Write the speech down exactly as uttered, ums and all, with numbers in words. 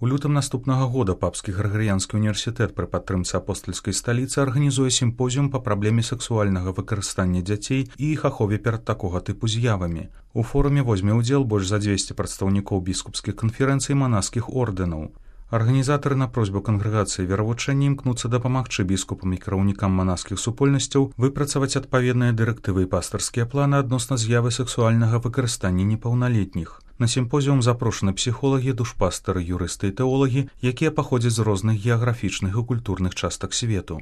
У лютым наступнага года папскі Грыгарыянскі універсітэт пры падтрымцы апостальскай сталіцы арганізуе сімпозіум па праблеме сексуальнага выкарыстання дзяцей і іх ахове перад такога тыпу з'явамі. У форуме возьме ўдзел больш за дзвесце прадстаўнікоў біскупскіх канферэнцый і манаскіх ордэнаў. Арганізатары на просьбу кангрэгацыі веравучэння імкнуцца дапамагчы біскупам і кіраўнікам манаскіх супольнасцяў выпрацаваць адпаведныя дырэктывы і пастырскія планы адносна з'явы сексуальнага выкарыстання непаўналетніх. На сімпозіум запрошаны псіхолагі, душпастары, юрысты і тэолагі, якія паходзяць з розных геаграфічных і культурных частак свету.